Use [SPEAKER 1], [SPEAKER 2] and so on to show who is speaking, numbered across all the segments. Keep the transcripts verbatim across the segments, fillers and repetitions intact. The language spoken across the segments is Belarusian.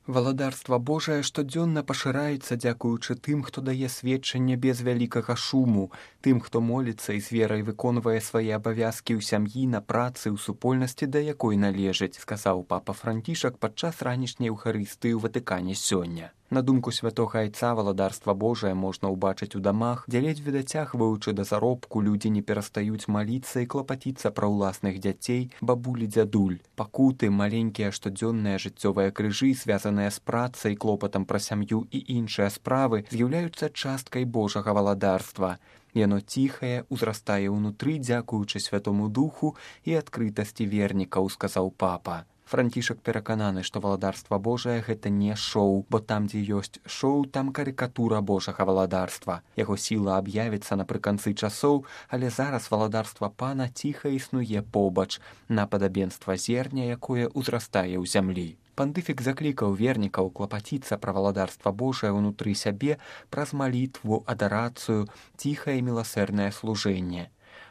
[SPEAKER 1] Валадарства Божае штодзённа пашыраецца дзякуючы тым, хто дае сведчанне без вялікага шуму, тым, хто моліцца і з верай выконвае свае абавязкі ў сям'і, на працы, ў супольнасці, да якой належыць, сказаў папа Францішак падчас ранішняй Еўхарыстыі ў Ватыкане сёння. На думку святога айца, валадарства Божае можна ўбачыць у дамах, дзе ледзьве дацягваючы да заробку, людзі не перастаюць маліцца і клапаціцца пра ўласных дзяцей, бабулі, дзядуль. Пакуты, маленькія штодзённыя жыццёвыя крыжы, звязаныя з працай, клопатам пра сям'ю і іншыя справы, з'яўляюцца часткай Божага валадарства. Яно ціхае, узрастае ўнутры, дзякуючы Святому Духу і адкрытасці вернікаў, сказаў папа. Францішак перакананы, што валадарства Божае – гэта не шоу, бо там, дзе ёсць шоу, там карыкатура Божага валадарства. Яго сіла аб'явіцца напрыканцы часоў, але зараз валадарства Пана ціха існуе побач, на падабенства зерня, якое ўзрастае ў зямлі. Пантыфік заклікаў вернікаў клапаціцца пра валадарства Божае ўнутры сябе праз малітву, адарацыю, ціхае міласэрнае служэнне.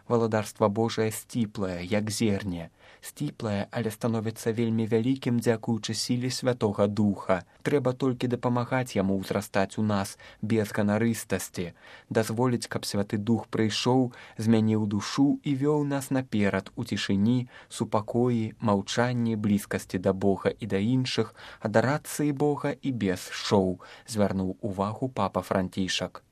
[SPEAKER 1] Валадарства Божае сціплае, як зерне. Сціплае, але становіцца вельмі вялікім дзякуючы сіле Святога Духа. Трэба толькі дапамагаць яму ўзрастаць у нас без ганарыстасці, дазволіць, каб Святы Дух прыйшоў, змяніў душу і вёў нас наперад у цішыні, супакоі, маўчанні, блізкасці да Бога і да іншых, адарацыі Бога і без шоу, звярнуў увагу папа Францішак.